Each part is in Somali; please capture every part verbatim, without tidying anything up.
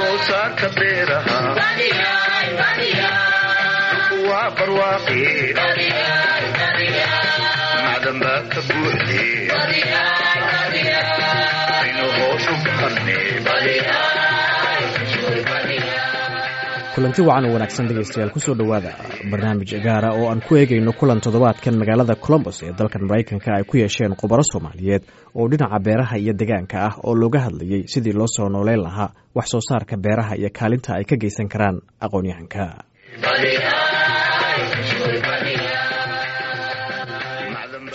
Soo saarka beeraha waa barwaaqi, macdan baa ka buuxde, aynu hoosu baqanne. Kulanti wacan oo wanaagsan, dhegeystayaal, kusoo dhowaada barnaamij gaara oo aan ku eegayno kulan toddobaadkan magaalada Columbus ee dalkan Maraykanka ay ku yeesheen khubaro Soomaaliyeed oo dhinaca beeraha iyo deegaanka ah, oo looga hadlayey sidii loo soo nooleyn lahaa wax soo saarka beeraha iyo kaalinta ay ka geysan karaan aqoon-yahanka.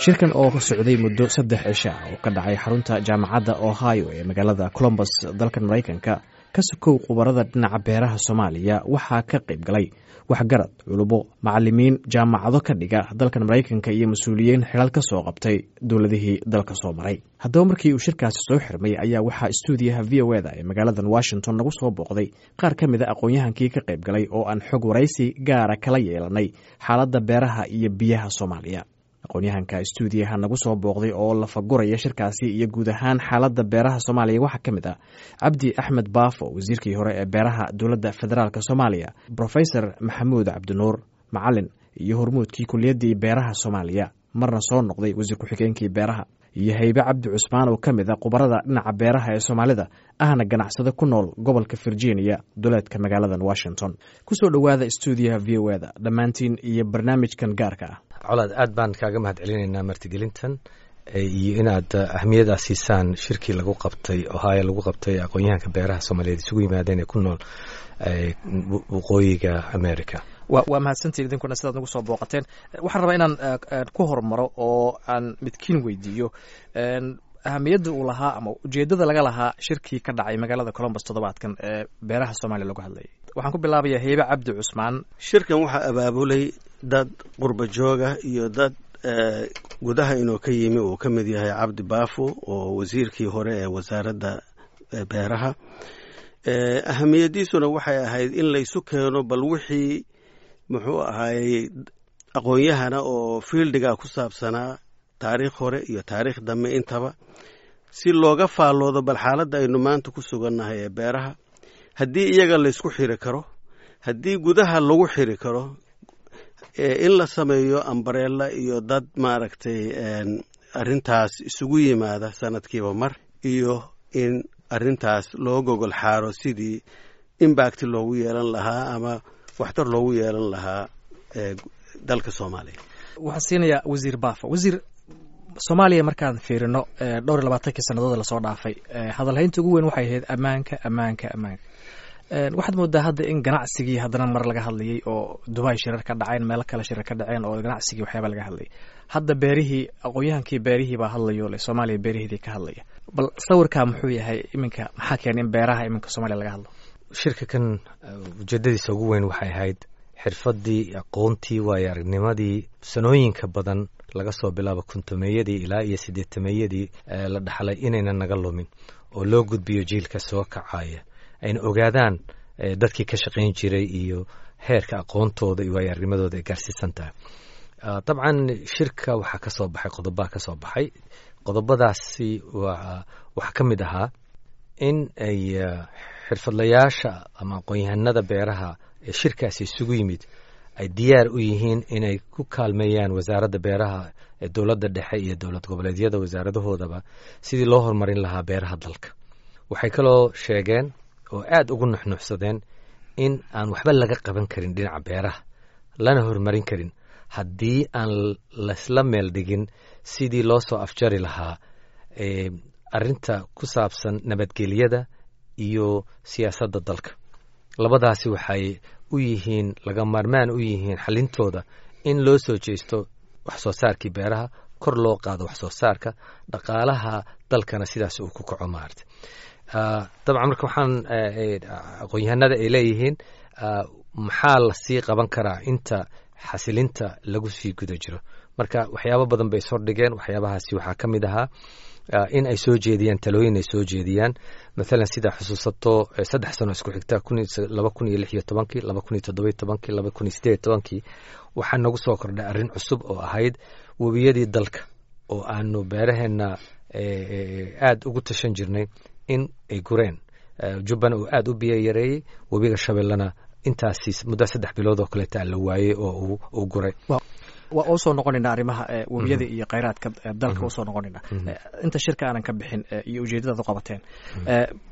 Shirkan oo socday muddo saddex cisho ah oo ka dhacay xarunta Jaamacadda Ohio ee magaalada Columbus dalkan Maraykanka, ka sokow khubarada dhinaca beeraha Soomaaliya, waxaa ka qayb galay waxgarad, culubo, macalimiin jaamacado ka dhiga dalkan Maraykanka iyo mas-uuliyiin xilal ka soo qabtay dowladihii dalka soo maray. Haddaba, markii uu shirkaasi soo xirmay ayaa waxaa istuudiyaha V O eda ee magaaladan Washington nagu soo booqday qaar ka mid a aqoon-yahankii ka qayb galay oo aan xog waraysi gaara kala yeelanay xaaladda beeraha iyo biyaha Soomaaliya. Aqoon-yahanka istuudiyaha nagu soo booqday oo lafaguraya shirkaasi iyo guud ahaan xaaladda beeraha Soomaaliya waxaa ka mid ah Cabdi Axmed Baafo, wasiirkii hore ee beeraha dowladda federaalk Soomaaliya, Brofesor Maxamuud Cabdinuur Macalin iyo hormuudkii kuliyaddii beeraha Soomaaliya, marna soo noqday wasiir ku-xigeenkii beeraha, iyo Haybe Cabdi Cusmaan oo ka mid a khubarada dhinaca beeraha ee Soomaalida, ahna ganacsado ku nool gobolka Virginia, duleedka magaaladan Washington. Kusoo dhowaada istuudiyaha V O eda dhammaantiin iyo barnaamijkan gaarka ah. Colaad, aad baan kaaga mahad celinaynaa martigelintan iyo inaad ahmiyadaas siisaan shirkii lagu qabtay Ohio, lagu qabtay aqoon-yahanka beeraha Soomaaliyeed isugu yimaadeen ee ku nool waqooyiga America. wa waa mahadsantiin idinkuna sidaad nagu soo booqateen. Waxaan rabaa inaan ku hormaro oo aan midkiin weydiiyo ahamiyadda uu lahaa ama ujeeddada laga lahaa shirkii ka dhacay magaalada Columbus toddobaadkan ee beeraha Soomaaliya lagu hadlayay. Waxaan ku bilaabayaa Heybe Cabdi Cusmaan. Shirkan waxaa abaabulay dad qurba jooga iyo dad gudaha inuu ka yimi, uu ka mid yahay Cabdi Baafo oo wasiirkii hore ee wasaaradda beeraha. Ahamiyadiisuna waxay ahayd in laysu keeno bal wixii muxuu ahaayey aqoon-yahana oo fieldiga ku saabsanaa, taariikh hore iyo taariikh dambe intaba, si looga faalloodo bal xaaladda aynu maanta ku sugannahay ee beeraha, haddii iyaga laysku xiri karo, haddii gudaha lagu xiri karo, in la sameeyo umbrella iyo dad maaragtay arrintaas isugu yimaada sanadkiiba mar, iyo in arrintaas loo gogol xaaro sidii impact loogu yeelan lahaa ama waxtar loogu yeelan lahaa dalka Soomaaliya. Waxaan siinayaa Wasiir Baafo. Wasiir, Soomaaliya markaan fiirino dhowr iyo labaatankii sannadood lasoo dhaafay, hadalhaynta ugu weyn waxay ahayd ammaanka, ammaanka, ammaanka. Waxaad moodaa hadda in ganacsigii haddana mar laga hadlayay oo Dubai shirar ka dhaceen, meelo kale shirar ka dhaceen oo ganacsigii waxyaaba laga hadlayay. Hadda beerihii, aqoon-yahankii beerihii baa hadlayo le Soomaaliya beeraheedii ka hadlaya. Bal sawirkaa muxuu yahay iminka? Maxaa keenay in beeraha iminka Soomaaliya laga hadlo? Shirka kan ujeedadiisa ugu weyn waxay ahayd xirfaddii, aqoontii, waayo aragnimadii sanooyinka badan laga soo bilaabo kontomeeyadii ilaa iyo siddeetameeyadii la dhaxlay inaynan naga lumin oo loo gudbiyo jiilka soo kacaya, ayna ogaadaan dadkii ka shaqayn jiray iyo heerka aqoontooda iyo waayo aragnimadooda ay gaarsiisan tahay. Dabcan shirka waxaa ka soo baxay qodobaa ka soo baxay. Qodobadaasi waxaa ka mid ahaa in ay xirfadlayaasha ama aqoon-yahanada beeraha ee shirkaasi isugu yimid ay diyaar u yihiin inay ku kaalmeeyaan wasaaradda beeraha ee dowladda dhexe iyo dowlad goboleedyada wasaaradahoodaba sidii loo horumarin lahaa beeraha dalka. Waxay kaloo sheegeen oo aada ugu nuxnuxsadeen in aan waxba laga qaban karin dhinaca beeraha lana horumarin karin haddii aan laysla meel dhigin sidii loo soo afjari lahaa arrinta ku saabsan nabadgelyada iyo siyaasadda dalka. Labadaasi waxay u yihiin laga maarmaan u yihiin xalintooda in loo soo jeesto wax soo saarkii beeraha, kor loo qaado wax soo saarka dhaqaalaha dalkana, sidaas uu ku kaco maarata. Dabcan marka waxaan aqoon-yahanada ay leeyihiin, maxaa lasii qaban karaa inta xasilinta lagu sii guda jiro? Marka waxyaabo badan bay sordhigeen. Waxyaabahaasi waxaa ka mid ahaa in ay soo jeediyaan talooyin, ay soo jeediyaan mathalan sida xusuusato saddex sano isku xigta, laba kun iyo lix iyo tobankii, laba kun iyo toddoba iyo tobankii, laba kun iyo sideed iyo tobankii, waxaa nagu soo kordhay arrin cusub oo ahayd webiyadii dalka oo aanu beeraheenna aada ugu tashan jirnay in ay gureen. Jubbana uu aada u biyo yareeyey, webiga Shabeellana intaasi muddo saddex bilood oo kaleeta la waayey oo uu guray. Waa usoo noqonaynaa arrimaha webiyada iyo kheyraadka dalka, usoo noqonaynaa inta shirka aanan ka bixin iyo ujeedadaad u qabateen.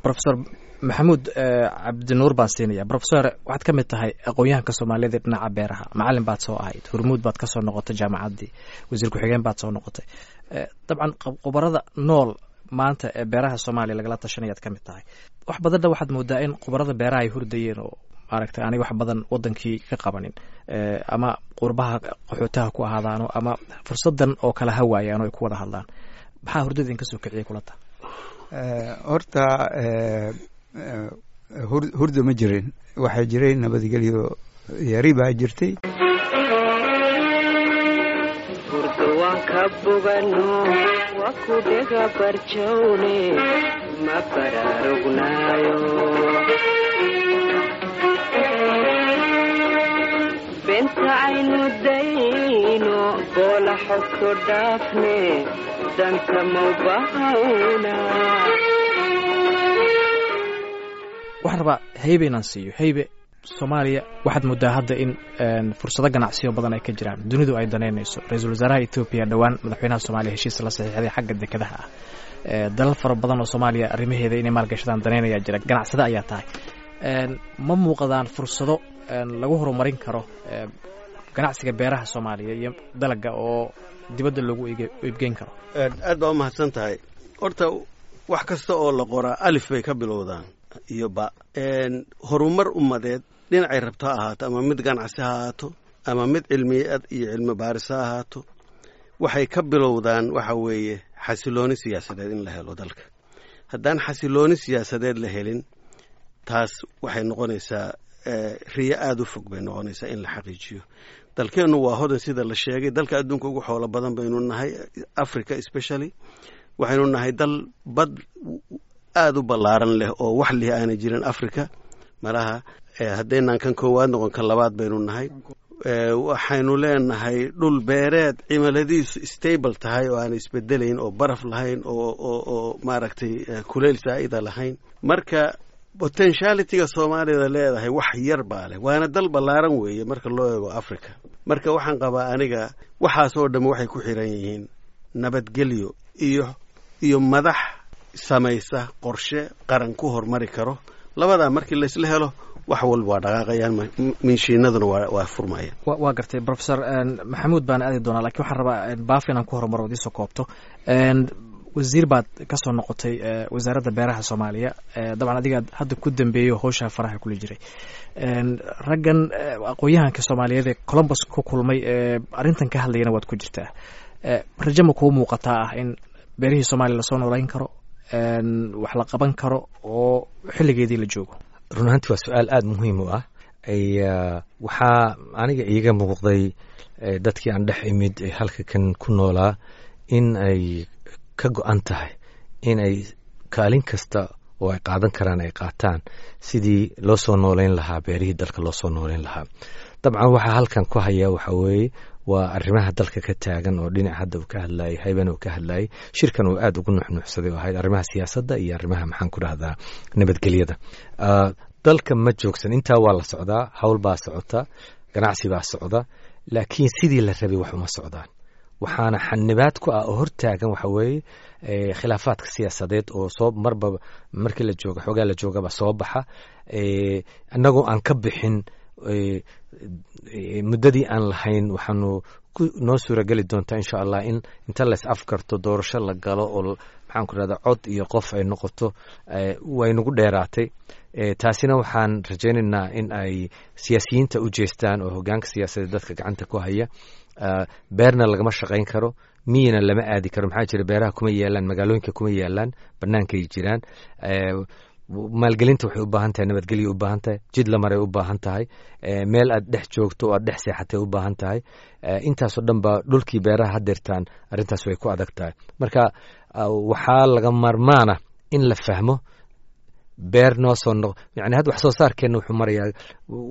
Professor Maxamuud Cabdinuur baan siinaya. Professor, waxaad ka mid tahay aqoon-yahanka Soomaaliyeed ee dhinaca beeraha, macalin baad soo ahayd, Hormuud baad ka soo noqotay jaamacaddii, wasiir ku-xigeen baad soo noqotay. Dabcan khubarada nool maanta ee beeraha Soomaaliya lagala tashanayaad ka mid tahay. Wax badanna waxaad moodaa in khubarada beeraha ay hurdayeen oo maaragtay aanay wax badan wadankii ka qabanin, ama qurbaha qaxootaha ku ahaadaano ama fursadan oo kale ha waayaan oo ay ku wada hadlaan. Maxaa hurdada idinka soo kiciyay kula ta? Horta hurda ma jirin, waxaa jiray nabadgelyo yari baa jirtay. Hurdo waan ka bogano, waa ku dhega barjowne, ma baraarugnaayo benta aynu dayno boola xogto dhaafne danta mawbahawna. Waxaan rabaa Haybe inaan siiyo. Haybe, Soomaaliya waxaad moodaa hadda in fursado ganacsiyo badan ay ka jiraan, dunidu ay danaynayso. Ra-iisul wasaaraha Etoobiya dhowaan madaxweynaha Soomaaliya heshiis la saxiixday xagga dekedaha ah. Dalal fara badan oo Soomaaliya arrimaheeda inay maalgashadaan danaynayaa jira. Ganacsada ayaa tahay, ma muuqdaan fursado lagu horumarin karo ganacsiga beeraha Soomaaliya iyo dalaga oo dibadda loogu iibgeyn karo? Aad baa umahadsan tahay. Horta wax kasta oo la qoraa alif bay ka bilowdaan iyo ba. Horumar ummadeed dhinacay rabto ha ahaato, ama mid ganacsi ha ahaato ama mid cilmiyeed iyo cilmi baaris ha ahaato, waxay ka bilowdaan waxa weeye xasilooni siyaasadeed in la helo dalka. Haddaan xasilooni siyaasadeed la helin, taas waxay noqonaysaa riyo aada u fog bay noqonaysaa in la xaqiijiyo. Dalkeennu waa hodan, sida la sheegay, dalka adduunka ugu xoolo badan baynu nahay, Africa especially. Waxaynu nahay dal bad aada u ballaaran leh oo wax lihi aanay jirin Africa malaha, haddaynaan kan koowaad noqon kan labaad baynu nahay. Waxaynu leenahay dhul beereed cimiladiisu stable tahay oo aan isbedelayn oo baraf lahayn oo oo oo maaragtay kuleyl saa'ida lahayn. Marka potentialityga Soomaalida leedahay wax yar baa leh, waana dal ballaaran weeye marka loo eego Africa. Marka waxaan qabaa aniga waxaas oo dhamm waxay ku xiran yihiin nabadgelyo iyo iyo madax samaysa qorshe qaran ku horumari karo. Labadaa markii laysla helo, wax walba waa dhaqaaqayaan, minshiinaduna waa waa furmayaan. Waa gartay, Professor Maxamuud baan aadi doonaa, lakin waxaan rabaa Baafi inaan ku horumaro idiisoo koobto. Wasiir baad ka soo noqotay wasaaradda beeraha Soomaaliya, dabcan adigaad hadda ku dambeeyo howshaa faraha kula jiray. Raggan aqoon-yahanka Soomaaliyeed ee Columbus ku kulmay ee arrintan ka hadlayana waad ku jirtaa. Rajo ma kuu muuqataa ah in beerihii Soomaaliya lasoo noolayn karo, wax la qaban karo oo xilligeedii la joogo? Run ahaanti waa su-aal aada muhiim u ah. Waxaa aniga iiga muuqday dadkii aan dhex imid ee halka kan ku noolaa in ay ka go-an tahay in ay kaalin kasta oo ay qaadan karaan ay qaataan sidii loo soo nooleyn lahaa beerihii dalka loo soo nooleyn lahaa. Dabcan waxaa halkan ku haya waxa weeye waa arrimaha dalka ka taagan oo dhinac hadda uu ka hadlayay Hayban, uu ka hadlayay shirkan uu aada ugu nuxnuuxsaday oo ahayd arrimaha siyaasadda iyo arrimaha, maxaan ku dhahdaa, nabadgelyada dalka. Ma joogsan, intaa waa la socdaa, hawl baa socota, ganacsi baa socda, laakiin sidii la rabay wax uma socdaan. Waxaana xanibaad ku ah oo hortaagan waxa weeye khilaafaadka siyaasadeed oo soo marba markii la jooga xoogaa la joogaba soo baxa, annagoo aan ka bixin muddadii aan lahayn. Waxaanu noo suurageli doontaa insha Allah in inta lays afkarto doorasho la galo oo, maxaan ku rahdaa, cod iyo qof ay noqoto. Way nagu dheeraatay taasina. Waxaan rajaynaynaa in ay siyaasiyiinta u jeestaan oo hogaanka siyaasadeed dadka gacanta ku haya. Beerna lagama shaqayn karo, miyina lama aadi karo. Maxaa jira? Beeraha kuma yaalaan magaalooyinka, kuma yaalaan, bannaankay jiraan. Maalgelinta waxay u baahan tahay nabadgelya, u baahan tahay jid la maray, u baahan tahay meel aad dhex joogto oo aad dhex seexatay u baahan tahay. Intaasoo dhan ba dhulkii beeraha hadeertaan arrintaas way ku adag tahay. Marka waxaa laga maarmaana in la fahmo beer noo soo noq, yani hadda wax soo saarkeenna wuxuu marayaa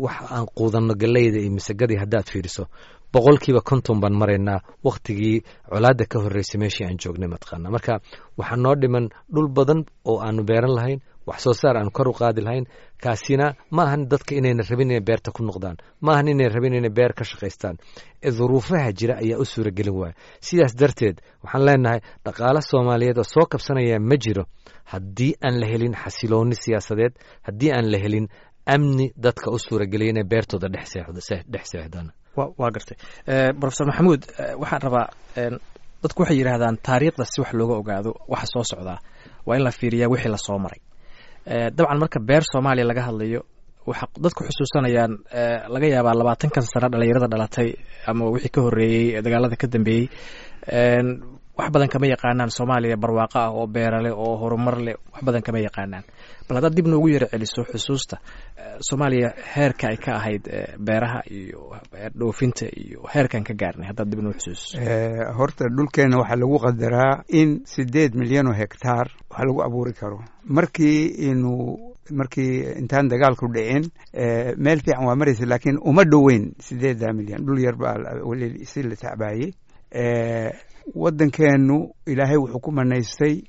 wax aan quudanno galeyda iyo masagadii haddaad fiiriso boqolkiiba konton baan maraynaa waktigii colaadda ka horreysay meeshii aan joognay mataqaana. Marka waxaa noo dhiman dhul badan oo aanu beeran lahayn, Wax soo saar aanu kor u qaadi lahayn. Kaasina ma ahan dadka inayna rabin inay beerta ku noqdaan, ma ahan inay rabin inay beer ka shaqaystaan, duruufaha jira ayaa u suuragelin waaya. Sidaas darteed waxaan leenahay dhaqaale Soomaaliyeed oo soo kabsanaya ma jiro haddii aan la helin xasilooni siyaasadeed, haddii aan la helin amni dadka u suurageliya inay beertooda dhex seexdaan. Waa gartay, Professor Maxamuud. Waxaan rabaa, dadku waxay yidhaahdaan taariikhda si wax looga ogaado waxa soo socdaa waa in la fiiriyaa wixii lasoo maray. Dabcan marka beer Soomaaliya laga hadlayo, waxa dadku xusuusanayaan laga yaabaa labaatankan sano dhalinyarada dhalatay ama wixii ka horreeyey dagaalada ka dambeeyey wax badan kama yaqaanaan Soomaaliya barwaaqo ah oo beerale oo horumar leh, wax badan kama yaqaanaan. Bal haddaad dib noogu yaro celiso xusuusta Soomaaliya, heerka ay ka ahayd beeraha iyo dhoofinta iyo heerkan ka gaarnay, haddaad dib noo xusuusiso. Horta dhulkeena waxaa lagu qadaraa in sideed milyan oo hektaar wax lagu abuuri karo. Markii inuu markii intaan dagaalku dhicin meel fiican waa maraysa, laakiin uma dhoweyn sideedda milyan. Dhul yar baa weli si la tacbaayey. Waddankeenu Ilaahay wuxuu ku manaystay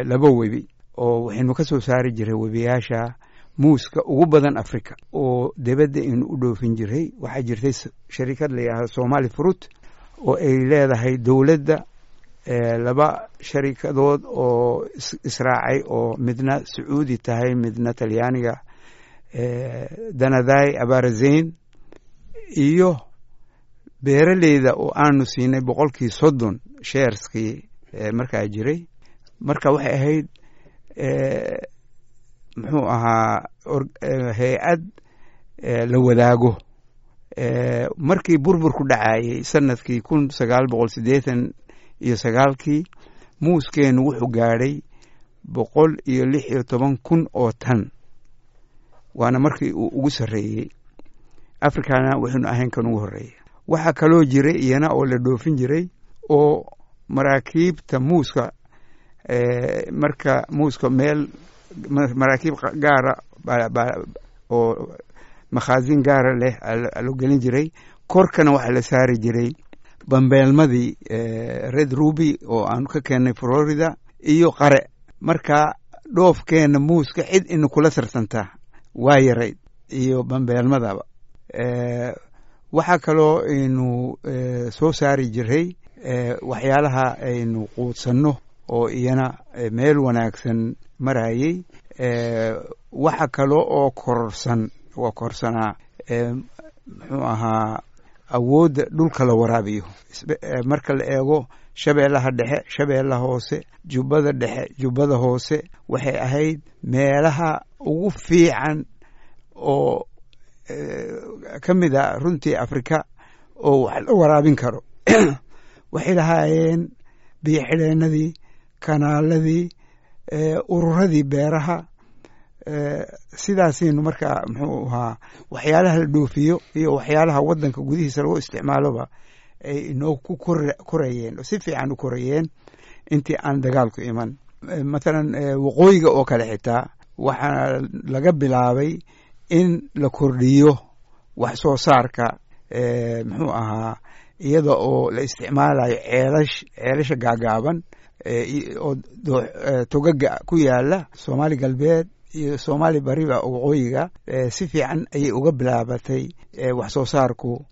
laba webi oo waxaynu ka soo saari jiray webiyaasha muuska ugu badan Africa oo debadda aynu u dhoofin jiray. Waxaa jirtay sharikad la yidhahdo Somali Fruit oo ay leedahay dowladda, laba sharikadood oo israacay oo midna Sacuudi tahay, midna Talyaaniga, Danaday Abarazeyn, iyo beeraleyda oo aanu siinay boqolkii soddon shareskii markaa jiray. Marka waxay ahayd, muxuu ahaa, hay-ad la wadaago. Markii burburku dhacayey sanadkii kun sagaal boqol siddeetan iyo sagaalkii muuskeenu wuxuu gaadhay boqol iyo lix iyo toban kun oo tan, waana markii uu ugu sarreeyey Africana, waxaynu ahayn kan ugu horreeya. Waxaa kaloo jiray iyana oo la dhoofin jiray oo maraakiibta muuska, marka muuska meel maraakiib gaara oo makhaasin gaara leh loo gelin jiray, korkana waxaa la saari jiray bambeelmadii Red Ruby oo aanu ka keennay Florida iyo qare. Marka dhoofkeena muuska cid ina kula tartantaa waa yarayd iyo bambeelmadaba. Waxaa kaloo aynu soo saari jiray waxyaalaha aynu quudsanno oo iyana meel wanaagsan marayey. Waxa kale oo kororsan waa korsanaa, muxuu ahaa, awoodda dhulka la waraabiyo. Marka la eego Shabeellaha Dhexe, Shabeellaha Hoose, Jubbada Dhexe, Jubbada Hoose, waxay ahayd meelaha ugu fiican oo ka mid a runtii Afrika oo wax la waraabin karo. Waxay lahaayeen biyo xidheenadii, kanaaladii, ururadii beeraha. Sidaasaynu markaa, muxuu ahaa, waxyaalaha la dhoofiyo iyo waxyaalaha waddanka gudihiisa lagu isticmaaloba ay inoo ku korayeen oo si fiican u korayeen intii aan dagaalku iman. Mathalan waqooyiga oo kale xitaa waxaa laga bilaabay in la kordhiyo wax soo saarka, muxuu ahaa, iyada oo la isticmaalayo ceelash ceelasha gaagaaban oo togaga ku yaala Soomaali Galbeed iyo Soomaali Bariba. Waqooyiga si fiican ayay uga bilaabatay wax soo saarku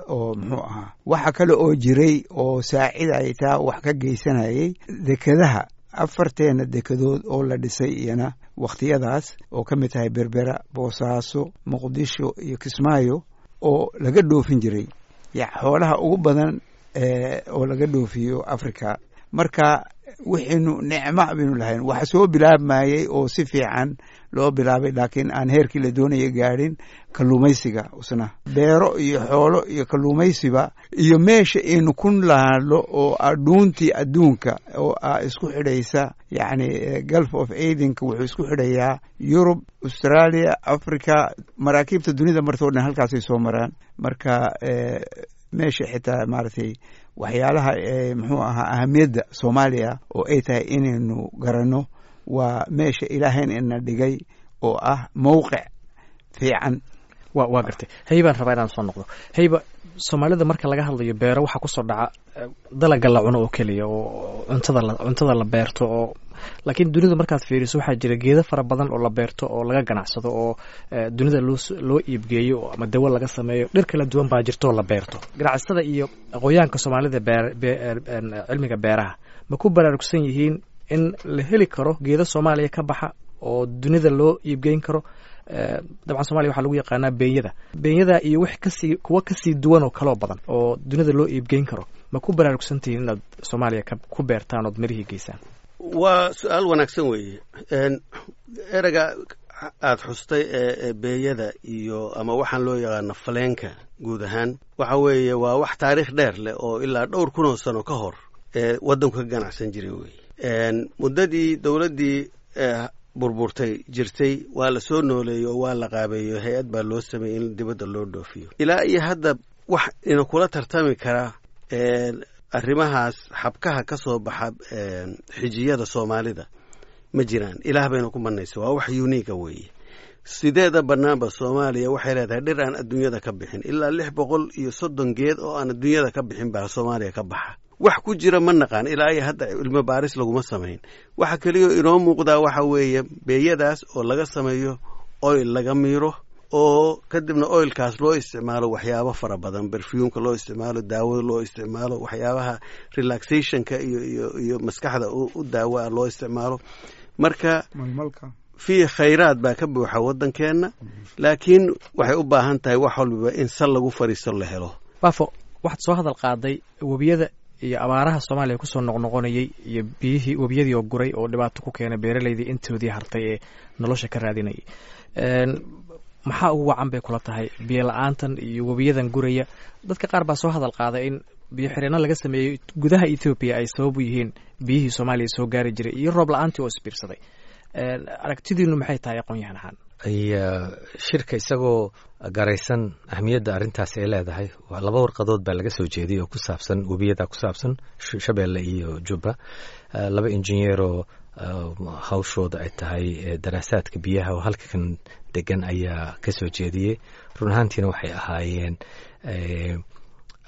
oo, muxuu ahaa, waxa kale oo jiray oo saacidaya taa wax ka geysanayay dekedaha, afarteena dekedood oo la dhisay iyana wakhtiyadaas oo ka mid tahay Berbera, Boosaaso, Muqdisho iyo Kismaayo oo laga dhoofin jiray xoolaha ugu badan oo laga dhoofiyo Africa. Marka wixaynu nicmo baynu lahayn. Waxa soo bilaabmayey oo si fiican loo bilaabay laakiin aan heerkii la doonaya gaadhin kalluumaysiga usna. Beero iyo xoolo iyo kalluumaysiba iyo meesha aynu ku laadlo oo ah dhuuntii adduunka oo ah isku xidhaysa, yacni Gulf of Adenka wuxuu isku xidhayaa Yurub, Australia, Africa. Maraakiibta dunida martoo dhan halkaasay soo maraan. Marka meesha xitaa maaragtay waxyaalaha, muxuu ahaa, ahamiyadda Soomaaliya oo ay tahay inaynu garanno waa meesha Ilaahayn ina dhigay oo ah mowqic fiican. Wa waa gartay. Haybaan rabaa inaan soo noqdo. Hayba, Soomaalida marka laga hadlayo beero waxaa kusoo dhaca dalaga la cuno oo keliya oo cuntada la cuntada la beerto oo, laakiin dunida markaad fiiriso waxaa jira geedo fara badan oo la beerto oo laga ganacsado oo dunida loo loo iibgeeyo ama dawo laga sameeyo. Dhir kala duwan baa jirto oo la beerto. Ganacsada iyo aqoonyahanka Soomaalida beer cilmiga beeraha ma ku baraarugsan yihiin in la heli karo geedo Soomaaliya ka baxa oo dunida loo iibgeyn karo? Dabcan Somalia waxaa lagu yaqaanaa beenyada beenyada iyo wax kasii kuwa kasii duwan oo kaloo badan oo dunida loo iibgeyn karo. Ma ku baraarugsantihiin inaad Soomaaliya ka ku beertaan ood mirihii geysaan? Waa su-aal wanaagsan weeye. Ereyga aada xustay ee beeyada iyo ama waxaan loo yaqaano faleenka guud ahaan waxa weeye waa wax taariikh dheer leh oo ilaa dhowr kun oo sano ka hor ee waddanku ka ganacsan jiray weeye. Muddadii dowladdii burburtay jirtay waa la soo nooleeyey oo waa la qaabeeyo, hay-ad baa loo sameeyey in dibadda loo dhoofiyo. Ilaa iyo hadda wax ina kula tartami karaa arrimahaas xabkaha ka soo baxa xijiyada Soomaalida ma jiraan. Ilaah bayna ku manaysa, waa wax unique weeye. Sideeda bannaanba Soomaaliya waxay leedahay dhir aan adduunyada ka bixin. Ilaa lix boqol iyo soddon geed oo aan adduunyada ka bixin baa Soomaaliya ka baxa. Wax ku jira ma naqaan, ilaa iyo hadda cilmi baaris laguma samayn. Waxa keliya inoo muuqdaa waxa weeye beeyadaas oo laga sameeyo oil, laga miiro oo kadibna oilkaas loo isticmaalo waxyaabo fara badan, berfuumka loo isticmaalo, daawada loo isticmaalo, waxyaabaha relaxationka iyo iyo iyo maskaxda u daawa loo isticmaalo. Marka fii khayraad baa ka buuxa waddankeenna, laakiin waxay u baahan tahay wax walbaba in sal lagu fariisto la helo. Baafo, waxaad soo hadal qaaday webiyada iyo abaaraha Soomaaliya kusoo noqnoqonayay iyo biyihii webiyadii oo guray oo dhibaato ku keenay beeraleydii intoodii hartay ee nolosha ka raadinayay. Maxaa ugu wacan bay kula tahay biyo la-aantan iyo webiyadan guraya? Dadka qaar baa soo hadal qaaday in biyo xireenno laga sameeyey gudaha Ethoobiya ay sabab u yihiin biyihii Soomaaliya soo gaari jiray iyo roob la-aantii oo isbiirsaday. Aragtidiinu maxay tahay aqoon-yahan ahaan? Shirka isagoo garaysan ahmiyadda arrintaas ay leedahay, laba warqadood baa laga soo jeediyay oo ku saabsan webiyada, ku saabsan Shabeelle iyo Jubba. Laba injineeroo hawshooda ay tahay daraasaadka biyaha oo halkan degan ayaa ka soo jeediyey. Run ahaantiina waxay ahaayeen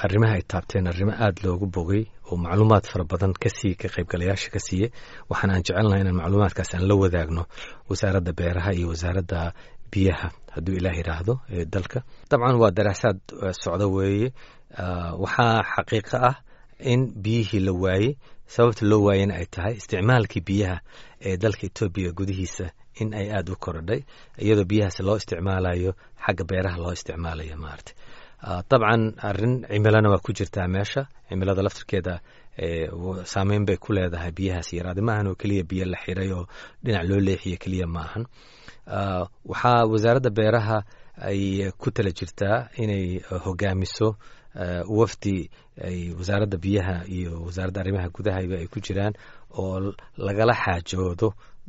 arrimaha ay taabteen arrimo aada loogu bogay oo macluumaad fara badan kasii ka qaybgalayaasha ka siiyey. Waxaan aan jecelnahay inaan macluumaadkaas aan la wadaagno wasaaradda beeraha iyo wasaaradda biyaha hadduu Ilaah yidhaahdo ee dalka. Dabcan waa daraasaad socdo weeye. Waxaa xaqiiqo ah in biyihii la waayey, sababta loo waayena ay tahay isticmaalkii biyaha ee dalka Etoobiya gudihiisa in ay aada u korodhay, iyadoo biyahaas loo isticmaalayo xagga beeraha loo isticmaalayo maarata. Dabcan arrin cimilana waa ku jirtaa meesha, cimilada laftirkeeda saameyn bay ku leedahay biyahaas yaraada. Maahan oo keliya biyo la xiray oo dhinac loo leexiyo keliya maahan. Waxaa wasaaradda beeraha ay ku tala jirtaa inay hogaamiso wafdi ay wasaaradda biyaha iyo wasaaradda arrimaha gudahaba ay ku jiraan oo lagala xaajoodo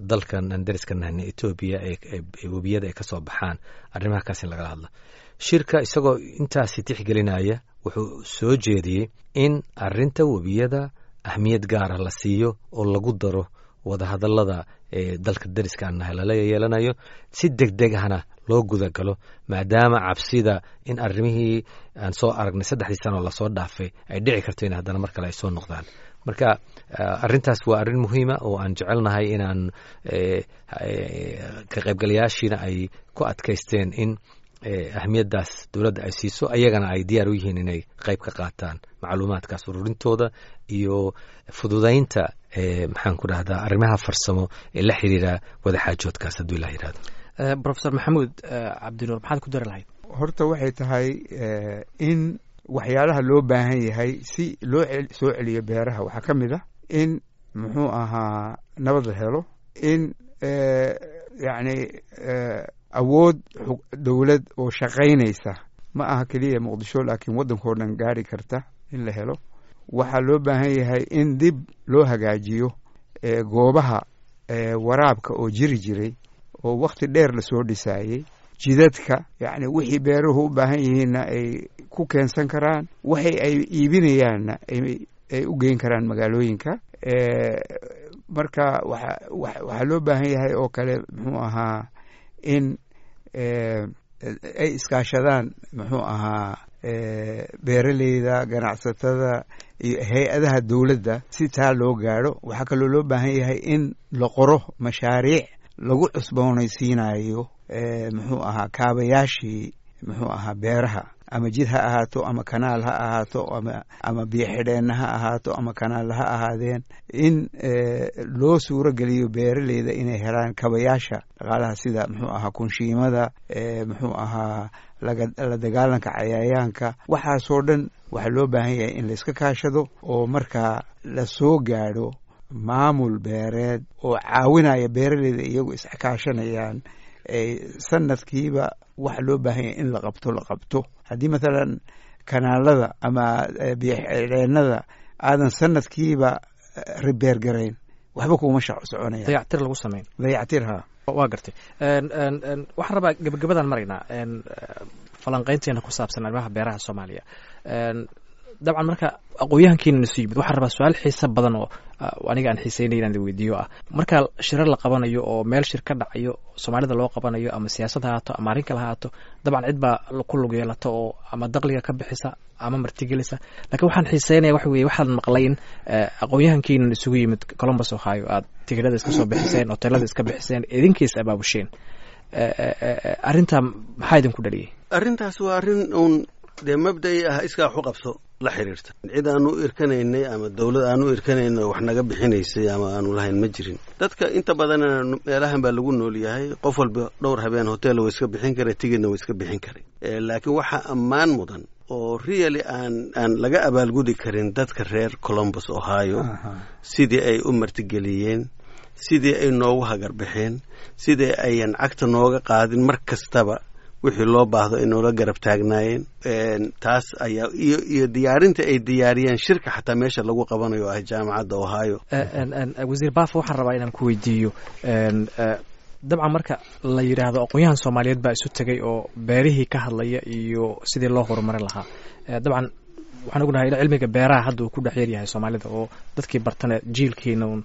dalkan aan dariska nahna Etoobiya ee webiyada ay ka soo baxaan, arrimaha kaas in lagala hadlo. Shirka isagoo intaasi tixgelinaya wuxuu soo jeediyey in arrinta webiyada ahmiyad gaara la siiyo oo lagu daro wadahadallada ee dalka dariska aan nahay lala yeelanayo, si deg deg ahna loo gudagalo, maadaama cabsida in arrimihii aan soo aragnay saddexdii sanoo lasoo dhaafay ay dhici karto in haddana mar kale ay soo noqdaan. Marka arrintaas waa arrin muhiima oo aan jecelnahay inaan ka qaybgalayaashiina ay ku adkaysteen in ahmiyaddaas dowladda ay siiso, ayagana ay diyaar u yihiin inay qayb ka qaataan macluumaadkaas ururintooda iyo fududaynta, maxaan ku dhahdaa, arrimaha farsamo ee la xiriira wadaxaajoodkaas hadduu Ilah yihahdo. Professor Maxamuud Cabdinuur, maxaad ku dari lahayd? Horta waxay tahay in waxyaalaha loo baahan yahay si loo soo celiyo beeraha waxaa ka mid ah in muxuu ahaa nabad la helo, in yacni awood dowlad oo shaqaynaysa, ma aha keliya Muqdisho laakiin waddankao dhan gaari karta, in la helo. Waxaa loo baahan yahay in dib loo hagaajiyo goobaha waraabka oo jiri jiray oo wakhti dheer lasoo dhisaayey, jidadka, yacni wixii beeruhu u baahan yihiinna ay ku keensan karaan, waxay ay iibinayaanna ay u geyn karaan magaalooyinka. Marka waxa waxaa loo baahan yahay oo kale muxuu ahaa in ay iskaashadaan muxuu ahaa beeraleyda, ganacsatada iyo hay-adaha dowladda si taa loo gaadho. Waxaa kaloo loo baahan yahay in la qoro mashaariic lagu cusboonaysiinayo muxuu ahaa kaabayaashii muxuu ahaa beeraha, ama jid ha ahaato, ama kanaal ha ahaato, ama ama biyo xidheenna ha ahaato, ama kanaal ha ahaadeen, in loo suuro geliyo beeraleyda inay helaan kabayaasha dhaqaalaha sida muxuu ahaa kunshiimada, muxuu ahaa la dagaalanka cayayaanka. Waxaasoo dhan waxaa loo baahan yahay in layska kaashado oo markaa la soo gaadho maamul beereed oo caawinaya beeraleyda iyagu iskaashanayaan sanadkiiba waxa loo baahan yahay in la qabto la qabto. Haddii mathalan kanaalada ama biyoxidheennada aadan sanadkiiba repair garayn, waxba kuma soconaya. Dayactir lagu samayn. Dayactir, ha. Waa gartay. Waxaan rabaa gabagabadaan maraynaa falanqaynteena ku saabsan arrimaha beeraha Soomaaliya. Dabcan marka aqoon-yahankiina isu yimid, waxaan rabaa su-aal xiisa badan oo aniga aan xiiseynay inaan weydiiyo ah: marka shirar la qabanayo oo meel shir ka dhacayo Soomaalida loo qabanayo, ama siyaasad ha haato ama arrin kale ha haato, dabcan cid baa ku lug yeelata oo ama daqliga ka bixisa ama martigelisa. Lakiin waxaan xiiseynaya waxa weye, waxaan maqlay in aqoon-yahankiinan isugu yimid Columbus, Ohio, aad tigidhada iska soo bixiseen, hoteelada iska bixiseen, idinkiis abaabusheeen. Arrintaa maxaa idinku dhaliyey? Arrintaas waa arrin uun dee mabda'i ah, iskaa wax u qabso la xiriirta. Cid aanu u irkanaynay ama dowlad aanu u irkanaynay wax naga bixinaysay ama aanu lahayn ma jirin. Dadka inta badanna meelahan baa lagu nool yahay, qof walba dhowr habeen hotel waa iska bixin karay, tigidna waa iska bixin karay. Laakiin waxaa ammaan mudan oo really aan aan laga abaalgudi karin dadka reer Columbus, Ohio, sidii ay u martigeliyeen, sidii ay noogu hagarbixeen, sidii ayan cagta nooga qaadin, mar kastaba wixii loo baahdo ay noola garab taagnaayeen. Taas ayaa iyo iyo diyaarinta ay diyaariyeen shirka xataa meesha lagu qabanayo ah Jaamacadda Ohio. Wasiir Baafo, waxaan rabaa inaan ku weydiiyo, dabcan marka la yidhaahdo aqoon-yahan Soomaaliyeed baa isu tegay oo beerihii ka hadlaya iyo sidii loo horumarin lahaa, dabcan waxaan ognahay in cilmiga beeraha hadda uu ku dhex yar yahay Soomaalida oo dadkii bartana jiilkiina un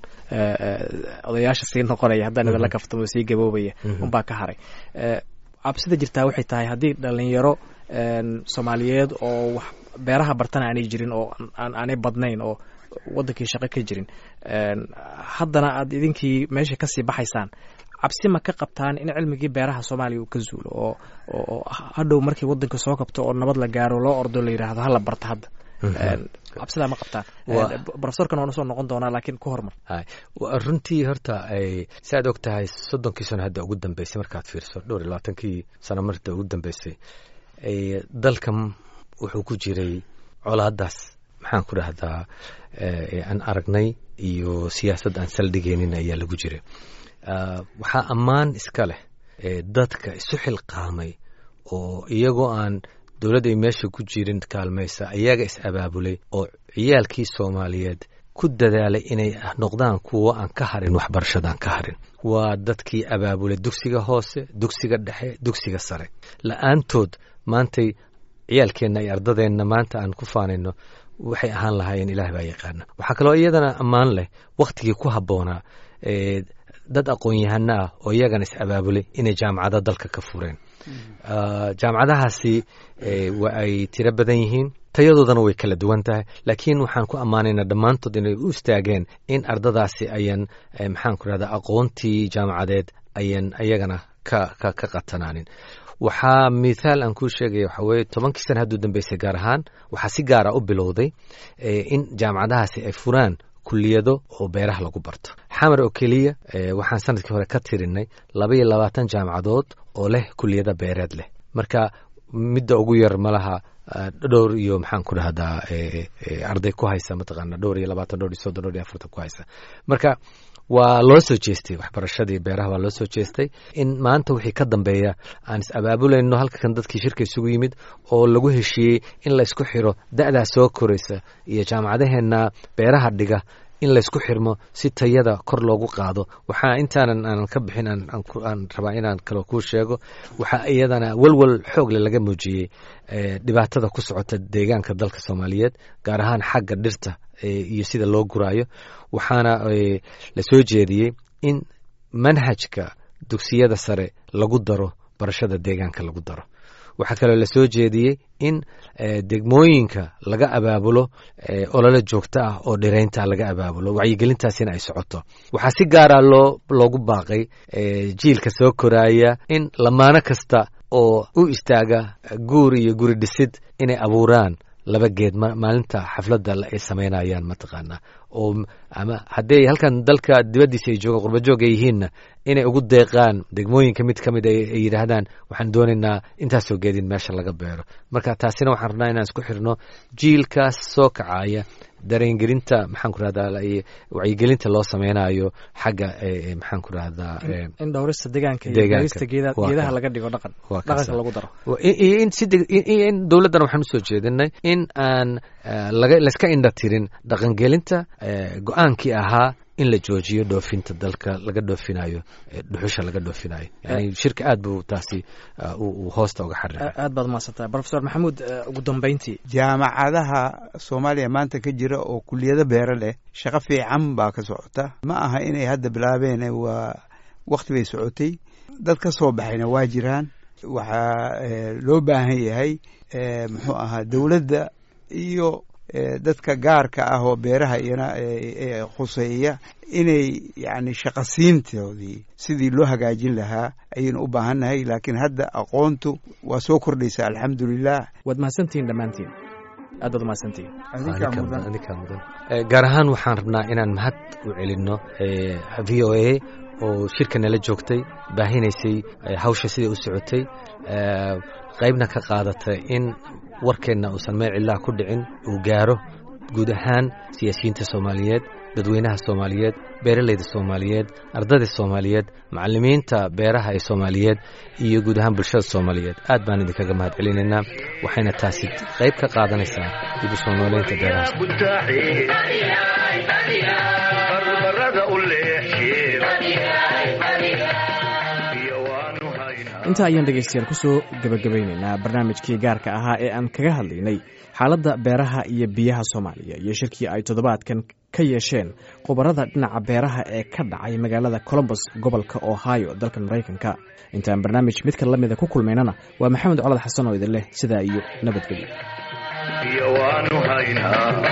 odayaasha sii noqonaya, haddaan idinla kaftamo, sii gaboobaya unbaa ka haray. Cabsida jirtaa waxay tahay haddii dhalinyaro Soomaaliyeed oo wax beeraha bartana aanay jirin oo aanay badnayn oo waddankii shaqo ka jirin, haddana aad idinkii meesha kasii baxaysaan, cabsi ma ka qabtaan in cilmigii beeraha Soomaaliya uu ka zuulo oo oo hadhow markii waddanka soo kabto oo nabad la gaaro loo ordo la yidhaahdo hala barto hadda? Cabsidaa ma qabtaan? Profesorkan waan usoo noqon doonaa, laakiin ku hormar. Runtii horta si aad og tahay, soddonkii sano hadda ugu dambeysay markaad fiirso, dhowr iyo labaatankii sano marta ugu dambeysay, dalkan wuxuu ku jiray colaadaas, maxaan ku dhahdaa, aan aragnay iyo siyaasad aan saldhigaynin ayaa lagu jiray. Waxaa ammaan iska leh dadka isu xilqaamay oo iyagoo aan dowladda ay meesha ku jirin kaalmaysa ayaga is abaabulay oo ciyaalkii Soomaaliyeed ku dadaalay inay noqdaan kuwo aan ka harin waxbarashadaan ka harin. Waa dadkii abaabulay dugsiga hoose, dugsiga dhexe, dugsiga sare. La-aantood maantay ciyaalkeenna iyo ardadeenna maanta aan ku faanayno waxay ahaan lahaayeen Ilaah baa yaqaana. Waxaa kaloo iyadana ammaan leh wakhtigii ku habboonaa dad aqoon-yahano ah oo iyagana is abaabulay inay jaamacado dalka ka fureen. Jaamacadahaasi waa ay tiro badan yihiin, tayadoodana way kala duwan tahay, laakiin waxaan ku ammaanaynaa dhammaantood inay u istaageen in ardadaasi ayan, maxaan ku rahdaa, aqoontii jaamacadeed ayan ayagana ka ka ka qatanaanin. Waxaa mithaal aan kuu sheegaya waxaa weeye, tobankii sana hadduu dambeysay gaar ahaan waxaa si gaara u bilowday in jaamacadahaasi ay furaan kuliyado oo beeraha lagu barto. Xamar oo keliya waxaan sanadkii hore ka tirinay laba iyo labaatan jaamacadood oo leh kuliyada beereed leh. Marka midda ugu yar malaha dhowr iyo, maxaan ku dhahdaa, arday ku haysa, mataqaana, dhowr iyo labaatan, dhowr iyo soddon, dhowr iyo afartan ku haysa. Marka waa loo soo jeestay waxbarashadii beeraha, waa loo soo jeestay in maanta wixii ka dambeeya aan is abaabulayno. Halkan dadkii shirka isugu yimid oo lagu heshiiyey in laysku xiro da'daa soo koraysa iyo jaamacadaheenna beeraha dhiga, in laysku xirmo si tayada kor loogu qaado. Waxaa intaanan aanan ka bixin aan rabaa inaan kaloo kuu sheego, waxaa iyadana walwal xoogle laga muujiyey dhibaatada ku socota deegaanka dalka Soomaaliyeed, gaar ahaan xagga dhirta iyo sida loo guraayo. Waxaana la soo jeediyey in manhajka dugsiyada sare lagu daro Barashada deegaanka lagu daro. Waxaa kaloo la soo jeediyey in degmooyinka laga abaabulo olole joogto ah oo dhireynta laga abaabulo, wacyigelintaasina ay socoto. Waxaa si gaara loo loogu baaqay jiilka soo koraaya in lamaano kasta oo u istaaga guur iyo guri dhisid inay abuuraan laba geed maalinta xafladda ay samaynayaan, mataqaanaa, oo ama hadday halkan dalka dibaddiisa ay joogaan, qurbajoog ay yihiinna, inay ugu deeqaan degmooyinka mid ka mid ay yidhaahdaan waxaan doonaynaa intaasoo geedin meesha laga beero. Marka taasina waxaan rabnaa inaan isku xirno jiilkaas soo kacaya, dareengelinta, maxaan ku rahdaa, wacyigelinta loo sameynayo xagga, maxaan ku rahdaa, in dhowrista deegaanka iyo beerista geedaha laga dhigo dhaqan, dhaqanka lagu daro. Iyo in si iyo in dowladdana waxaan usoo jeedinay in aan laga layska indha tirin dhaqangelinta go-aankii ahaa in la joojiyo dhoofinta dalka laga dhoofinayo dhuxusha laga dhoofinayo. Yani shirka aad buu taasi uu hoosta uga xariiqay. Aad baad mahadsantahay, Professor Maxamuud. Ugu dambeyntii, jaamacadaha Soomaaliya maanta ka jira oo kuliyado beero leh shaqo fiican baa ka socota. Ma aha inay hadda bilaabeen, waa wakti bay socotay, dad ka soo baxayna waa jiraan. Waxaa loo baahan yahay, muxuu ahaa, dowladda iyo dadka gaarka ah oo beeraha iyana khuseeya inay yani shaqasiintoodii sidii loo hagaajin lahaa ayaynu u baahannahay, laakiin hadda aqoontu waa soo kordhaysaa, alxamdulilah. Waad mahadsantihiin dhammaantiin, aad baad mahadsantihiin. Gaar ahaan waxaan rabnaa inaan mahad u celinno V O A oo shirka nala joogtay, baahinaysay hawsha siday u socotay, qaybna ka qaadatay in warkeenna uusan meel cidlaha ku dhicin, uu gaaro guud ahaan siyaasiyiinta Soomaaliyeed, dadweynaha Soomaaliyeed, beeralayda Soomaaliyeed, ardayda Soomaaliyeed, macalimiinta beeraha ee Soomaaliyeed iyo guud ahaan bulshada Soomaaliyeed. Aad baan idinkaga mahad celinaynaa, waxayna taasi qayb ka qaadanaysaa dib u soo nooleynta beeraha. Intaa ayaan dhegaystayaal kusoo gebagabaynaynaa barnaamijkii gaarka ahaa ee aan kaga hadlaynay xaaladda beeraha iyo biyaha Soomaaliya iyo shirkii ay toddobaadkan ka yeesheen khubarada dhinaca beeraha ee ka dhacay magaalada Colombos, gobolka Ohio, dalkan Maraykanka. Intaan barnaamij midka la mida ku kulmaynana, waa Maxamed Colad Xasan oo idin leh sidaa iyo nabadgelyo. Iyo waanu haynaa.